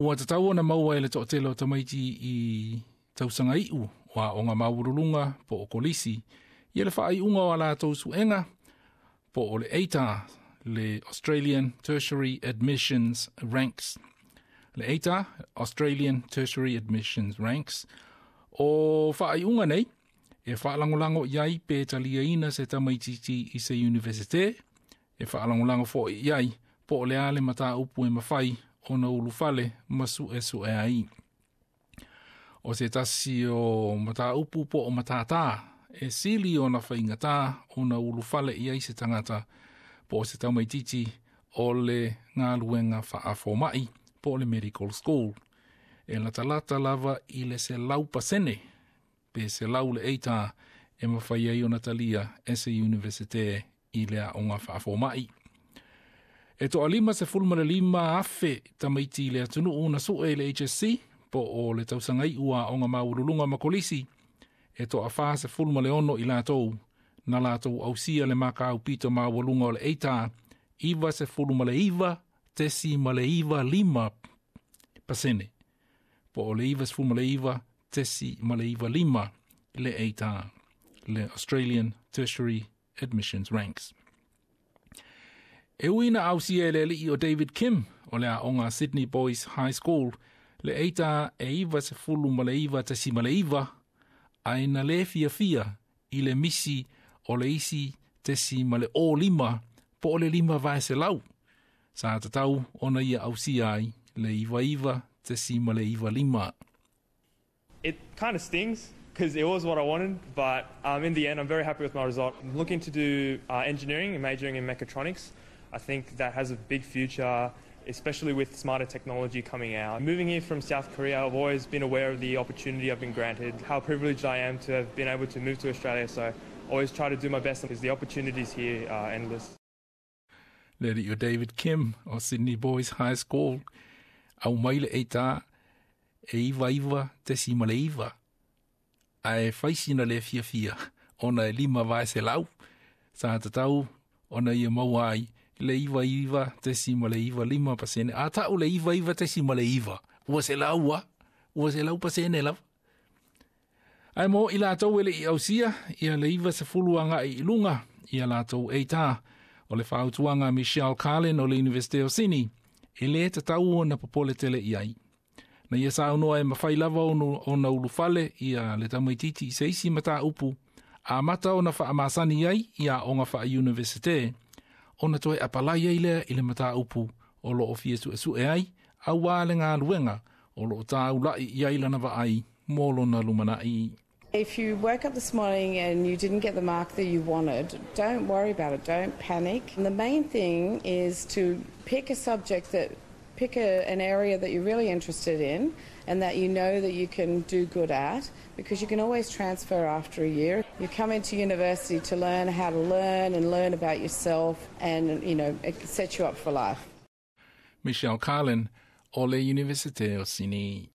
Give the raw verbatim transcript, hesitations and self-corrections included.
Ua tatau ona maua e le toatele o tamaiti i tausaga iu o aoga maualuluga po o kolisi ia le faaiuga o a latou suega po o le A T A R, le Australian Tertiary Admissions Ranks. Le A T A R, Australian Tertiary Admissions Ranks. O faaiuga nei, e faalagolago i ai pe taliaina se tamaititi i se universite, e faalagolago foi i ai po o le a le mataupu e mafai ona ulufale ma suesue ai. O se tasi o mataupu po o matatā e sili ona faigata ona ulufale i ai se tagata po o se tamaititi o le galuega faafoma'i po o le medical school. E latalata lava i le selau pasene pe selau le A T A R e mafai ai ona talia e se universite i le aoga faafoma'i. E toalima sefulu ma le lima afe tamaiti i le atunuu na sue i le H S C po o le tausaga iu o aoga maualuluga ma kolisi, e toafa sefulu ma le ono i latou na latou ausia le makau pito maualuga o le A T A R, iva sefulu ma le iva tesi ma le iva lima pasene po o le iva sefulu ma le iva tesi ma le iva lima le A T A R, le Australian Tertiary Admissions Ranks. E ui na ausia e le alii o David Kim o le aoga Sydney Boys High School le A T A R e iva sefulu ma le iva tesi ma le iva, ae na le fiafia i le misi o le isi tesi ma le o lima po o le lima vae selau. Sa tatau ona ia ausia ai le iva iva tesi ma le iva lima. It kind of stings because it was what I wanted, but um, in the end, I'm very happy with my result. I'm looking to do uh, engineering and majoring in mechatronics. I think that has a big future, especially with smarter technology coming out. Moving here from South Korea, I've always been aware of the opportunity I've been granted, how privileged I am to have been able to move to Australia. So I always try to do my best because the opportunities here are endless. Le alii o David Kim o Sydney Boys High School au mai le A T A R e iva iva tesi ma le iva. Ae faisina le fiafia ona e lima vae selau. Sa tatau ona ia maua ai le iva iva tesi ma le iva lima pasene. A tau le iva iva tesi ma le iva. Ua selau a. Ua selau pasene lava. Ae mo i latou e le i ausia, ia le iva sefulu agai i luga, ia latou A T A R, o le fautuaga Michelle Carlin o le Universite o Sydney, e le tatau ona popole tele i ai. Na ia saunoa e mafai lava ona ulufale ia le tamaititi i se isi mataupu, amata ona faamasani ai ia aoga faa-universite, ona toe apalai ai lea i le mataupu o loo fia suesue ai, auā le galuega o loo taulai i ai lana vaai mo lona lumanai. If you woke up this morning and you didn't get the mark that you wanted, don't worry about it. Don't panic. And the main thing is to pick a subject that, pick a, an area that you're really interested in and that you know that you can do good at, because you can always transfer after a year. You come into university to learn how to learn and learn about yourself and, you know, it sets you up for life. Michelle Carlin o le Universite o Sydney.